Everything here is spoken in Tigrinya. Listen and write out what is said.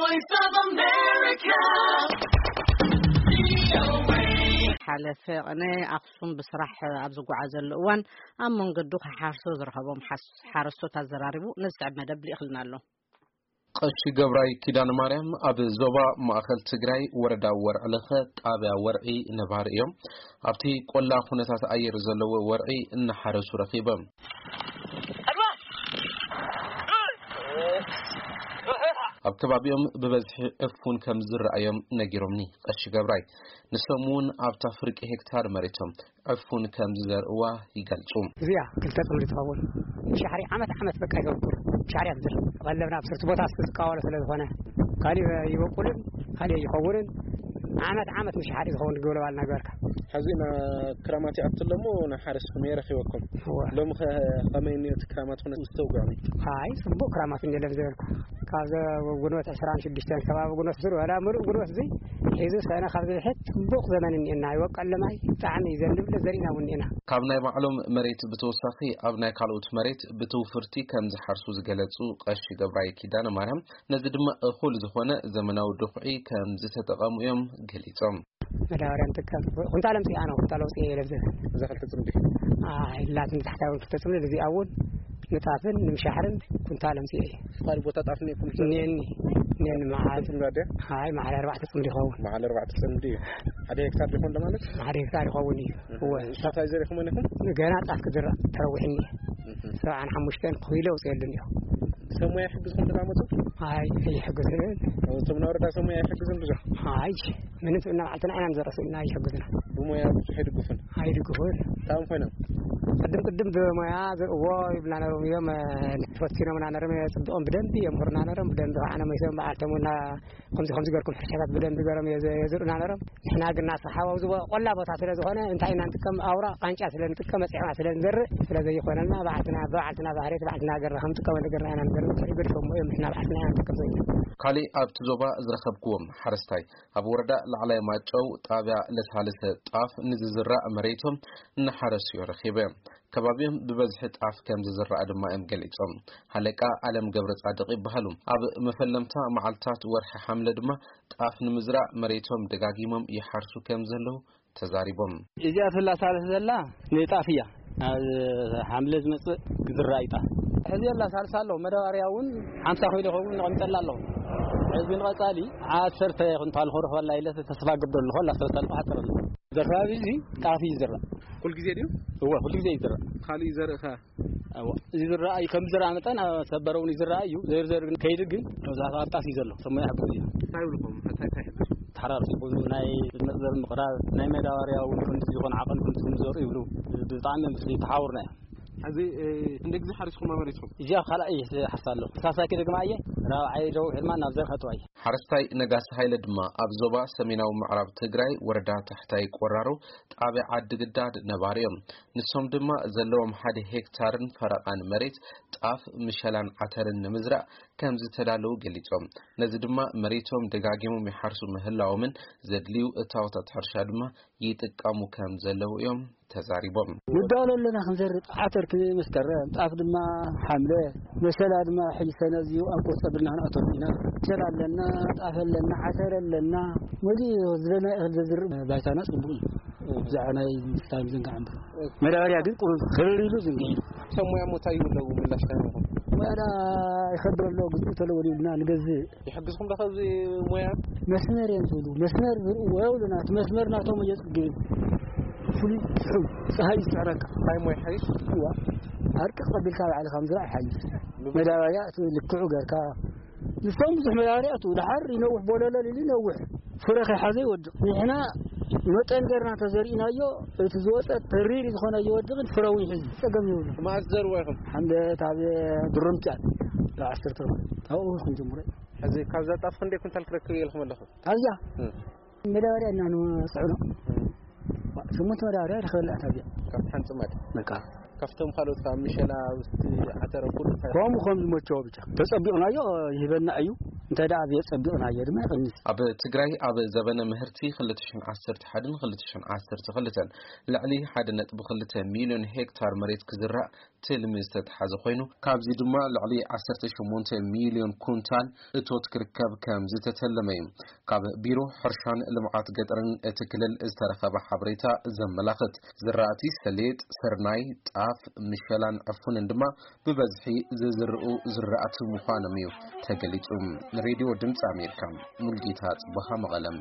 Voice of America. ሓለፈ ቅነ ኣኽሱም ብስራሕ ኣብ ዝጓዓዘሉ እዋን ኣብ መንገዱ ክሓርሶ ዝረኸቦም ሓስ- ሓረስቶት ኣዘራሪቡ ነዚ ስዕብ መደብ ልኢኽልና ኣሎ። ቀሺ ገብራይ ኪዳነ ማርያም ኣብ ዞባ ማእኸል ትግራይ ወረዳ ወርዕለኸ ጣብያ ወርዒ ነባሪ እዮም። ኣብቲ ቆላ ኩነታት ኣየር ዘለዎ ወርዒ እናሓረሱ ረኺቦም። ኣብ ከባቢኦም ብበዝሒ ዕፉን ከም ዝረኣዮም ነጊሮምኒ ቀሺ ገብራይ። ንሶም እውን ኣብታ ፍርቂ ሄክታር መሬቶም ዕፉን ከም ዝዘርእዋ ይገልጹ። እዚኣ ክልተ ጽምዲ ትኸውን። ምሻሕሪ ዓመት ዓመት በቃ ይገብር። ምሻሕሪ ኣብዝር ቀለብና ኣብ ስርቲ ቦታ ዝቃወሎ ስለ ዝኾነ ካሊእ ይበቁልን ካሊእ ይኸውንን። ዓመት ዓመት ምሻሕሪ ዝኸውን ግብለባል ነገርካ። ሕዚ ና ክራማት ይኣቱ ኣለሞ ንሓረስኩም የረኺበኩም። እወ። ሎሚ ኸ ከመይ እኒኦ እቲ ክራማት ኩነት ዝተውግዕኒ? ኣይ፣ ጽቡቕ ክራማት እንጀለም ዝበልኩ። ካብ ዘ-፣ ጉንበት ዕስራን ሽዱሽተን ከባቢ ጉንበት ዝሩ፣ ወላ ምሉእ ጉንበት እዚ ሒዙ ሰነ ካብ ዝብሕት ጽቡቕ ዘመን እኒኤና። ይወቀል ለማይ ብጣዕሚ እዩ ዘንብል ዘሪእና እውን እኒኤና። ካብ ናይ ባዕሎም መሬት ብተወሳኺ ኣብ ናይ ካልኦት መሬት ብትውፍርቲ ከም ዝሓርሱ ዝገለጹ ቀሺ ገብራይ ኪዳነ ማርያም፣ ነዚ ድማ እኹል ዝኾነ ዘመናዊ ድኹዒ ከም ዝተጠቐሙ እዮም ገሊጾም። መዳበርያ ንጥቀም። ኩንታል ኣምፅኣ ነው፣ ኩንታል ኣውፅአ እየ ለብዘ። እዛ ክልተ ፅምዲ? ኣይ፣ ላትን ታሕታውን ክልተ ፅምዲ፣ እዚኣ እውን ንጣፍን ንምሻሕርን ኩንታል ኣምፅአ እየ። ካልእ ቦታ ጣፍ እኒኤኩም? እኒኤኒ፣ እኒኤኒ መዓል። ፅምዲ ኣድያ? ኣይ፣ መዓል ኣርባዕተ ፅምዲ ይኸውን። መዓል ኣርባዕተ ፅምዲ እዩ። ሓደ ሄክታር ይኾን ለማለት? ሓደ ሄክታር ይኸውን እዩ። እወ። ንስኹም እንታይ ዘሪእኹም እኒኹም? ገና ጣፍ ክዝራእ ተረዊሕኒ። እህ። ሰብዓን ሓሙሽተን ኪሎ ኣውፅኤሉ እኒኦ። ሰብ ሞያ ይሕግዝኩም ተቐመጡ? ኣይ፣ ኣይሕግዝን። እቶም ናይ ወረዳ ሰብ ሞያ ይሕግዝን ብዙሕ? ኣይ፣ ምንም ስብና ባዕልትና ኢና ንዘርእ ስብና ይሕግዝና። ብሞያ ብዙሕ ኣይድግፉን? ኣይድግፉን። እንታይ እዮም ኮይኖም? ቅድም ቅድም ብሞያ ዝርእዎ ይብልና ነሮም እዮም፣ እ፣ ፈቲኖምና ነሮም፣ የጽብቖም ብደንቢ የምህሩና ነሮም፣ ብደንቢ ከዓ ነመይሶም በዓልቶም እና ከምዚ ከምዚ ገርኩም ሕርሻታት ብደንቢ ገሮም የዘ-፣ የዝርእና ነሮም። ንሕና ግን ናስሓ ኣብዚ ቦ-፣ ቆላ ቦታ ስለ ዝኾነ እንታይ ኢና ንጥቀም? ኣውራ ቃንጫ ስለ ንጥቀም፣ መጽዕና ስለ ንዘርእ፣ ስለ ዘይኾነልና ባዕልትና፣ ብባዕልትና ባህርየት ባዕልትና ገርና ከም ንጥቀመሉ ገርና ኢና ንዘርእ። ድሕሪ ገድፎም እዮም፣ ንሕና ባዕልትና ኢና ንጥቀም ዘለና። ካሊእ ኣብቲ ዞባ ዝረኸብክዎም ሓረስታይ ኣብ ወረዳ ላዕላይ ማጨው ጣብያ ለሳልሰ ጣፍ ንዝዝራእ መሬቶም እናሓረሱ እዮም ረኺበ። ከባቢኦም ብበዝሒ ጣፍ ከም ዝዝራእ ድማ እዮም ገሊጾም። ሃለቃ ኣለም ገብረ ጻድቕ ይበሃሉ። ኣብ መፈለምታ መዓልታት ወርሒ ሓምለ ድማ ጣፍ ንምዝራእ መሬቶም ደጋጊሞም ይሓርሱ ከም ዘለዉ ተዛሪቦም። እዚኣ ትላ ሳልስ ዘላ ንጣፍ እያ። ኣብ ሓምለ ዝመጽእ ክዝራእ እዩ ጣፍ። ሕዚ የላ ሳልሳ ኣለዎ። መዳበርያ እውን ሓምሳ ኮይሉ ይኸውን ነቐሚጠላ ኣለኹ። ሕዚ ንቐጻሊ ዓሰርተ ኩንታል ክረኽበላ ኢለ ተስፋ ገብር ኣለኹ። ኣላ ሰለስተ ኣልፋ ሓፅር ኣሎ። ዘርባቢ እዚ ጣፍ እዩ ዝዝራእ። ኩል ግዜ ድዩ? እወ፣ ኩል ግዜ እዩ ዝዝራእ። ካልእ ዘርኢ ኸ? እወ፣ እዚ ዝረኣ እዩ። ከም ዝረኣ መጠን ኣብ ሰበረ እውን ይዝረኣ እዩ። ዘርዘር ግን ከይዱ ግን መብዛሕትኡ ኣብ ጣፍ እዩ ዘሎ። ሰሞያ ይሕግዙ እዩ። እንታይ ይብልኹም? እንታይ፣ እንታይ ይሕግዙ? ተሓራርሱ ብዙ ናይ መጽዘር ምቕራብ፣ ናይ መዳበርያ እውን ክንዲ ዝኾነ ዓቐን ክንዲ ዝዘርኡ ይብሉ። ብጣዕሚ ምስ ተሓውርና እዮም። ሕዚ፣ እ፣ ክንደይ ግዜ ሓሪስኩም ኣመሪትኩም? እዚኣ ካልኣይ እየ ዝሓርሳ ኣለኹ። ሳልሳይ ክደግማ እየ። ራብዓይ ደው ሕልማ ናብ ዘር ከእትዋ እየ። ሓረስታይ ነጋሲ ሃይለ ድማ ኣብ ዞባ ሰሜናዊ ምዕራብ ትግራይ ወረዳ ታሕታይ ቆራሮ ጣብያ ዓዲ ግዳድ ነባሪ እዮም። ንሶም ድማ ዘለዎም ሓደ ሄክታርን ፈረቓን መሬት ጣፍ፣ ምሸላን ዓተርን ንምዝራእ ከም ዝተዳለዉ ገሊጾም። ነዚ ድማ መሬቶም ደጋጊሞም ይሓርሱ ምህላዎምን ዘድልዩ እታወታት ሕርሻ ድማ ይጥቀሙ ከም ዘለዉ እዮም ተዛሪቦም። ንዳሎ ኣለና ክንዘርእ፣ ዓተር ክመስከረም፣ ጣፍ ድማ ሓምለ፣ መሸላ ድማ ሕጂ ሰነ እዚኡ ኣብ ቁርፂ ኣቢልና ክንኣተሉ ኢና። መሸላ ኣለና፣ ጣፍ ኣለና፣ ዓተር ኣለና፣ መሊኡ ዝደለና እኽሊ ዘዝርእ ባይታና ፅቡቕ እዩ። ብዛዕባ ናይ ምስታይ ምዝንጋዕ እምበር። መዳበርያ ግን ቁሩብ ክርር ኢሉ ዝንግዕ ኢሉ። ሰብ ሞያ እሞ እንታይ ይብለዉ ምላሽ እንታይ ይህቡኹም? ሞያና ይኸብር ኣሎ፣ ግዝኡ ተለወል ይብልና ንገዝእ። ይሕግዝኩም ዶ ካብዚ ሞያ? መስመር እዮም ዝብሉ። መስመር ዝርእዎ የብሉና። እቲ መስመር ናቶም እዮ ጽግብ። ፍሉይ ትሑል ጸሃይ ይስዕረካ። እንታይ ሞያ ይሓይሽ? እዋ። ኣርቂ ቀቢልካ ባዕልኻ ምዝራእ ይሓይሽ። መዳበርያ እቲ ልክዑ ገርካ። ንሶም ብዙሕ መዳበርያ እቱ። ደሓር ይነውሕ ቦለለል ኢሉ ይነውሕ። ፍረ ከይሓዘ ይወድቕ። ንሕና መጠን ገርና እንተዘሪእናዮ፣ እቲ ዝወጸ ተሪር ዝኾነ ይወድቕን ፍረ እውን ይሕዝ። ጸገም የብሉ። መዓስ ዘርዎ ኢኹም? ሓምለ ኣብ ድሩምቲ እያ። ኣብ ዓሰርተ ርባዕ። ኣብኡ ክንጅምሮ። ሕዚ ካብዛ ጣፍ ክንደይ ኩንታል ክረክብ እየ ኢልኩም ኣለኹም? ኣብዚኣ? እም። መዳበርያ ኢና ንጽዕኖ። እም። ዋ፣ ሽሞንተ መዳበርያ ይረኽበላ እታ ኣብዚኣ። ካብቲ ሓንቲ ጽማድ? በቃ። ካብቶም ካልኦት ካብ ምሸላ ውስቲ ዓተረ ኩሉ እንታይ? ከምኡ ከም ዝመቸዎ ብቻ። ተጸቢቕናዮ ይህበና እዩ። እንታይ ደኣ ኣብዚኣ ጸቢቕናዮ ድማ ይቕንስ። ኣብ ትግራይ ኣብ ዘበነ ምህርቲ ክልተ ሽሕን ዓሰርተ ሓደን ክልተ ሽሕን ዓሰርተ ክልተን ልዕሊ ሓደ ነጥቢ ክልተ ሚልዮን ሄክታር መሬት ክዝራእ ትልሚ ዝተተሓዘ ኮይኑ፣ ካብዚ ድማ ልዕሊ ዓሰርተ ሸሞንተ ሚልዮን ኩንታል እቶት ክርከብ ከም ዝተተለመ እዩ። ካብ ቢሮ ሕርሻን ልምዓት ገጠርን እቲ ክልል ዝተረኸበ ሓበሬታ ዘመላኽት፣ ዝራእቲ ሰሌጥ፣ ስርናይ፣ ጣፍ፣ ምሸላን ዕፉንን ድማ ብበዝሒ ዝዝርኡ ዝራእቲ ምዃኖም እዩ ተገሊጹ። ሬድዮ ድምፂ ኣሜሪካ፣ ሙልጌታ ጽቡሃ፣ መቐለም።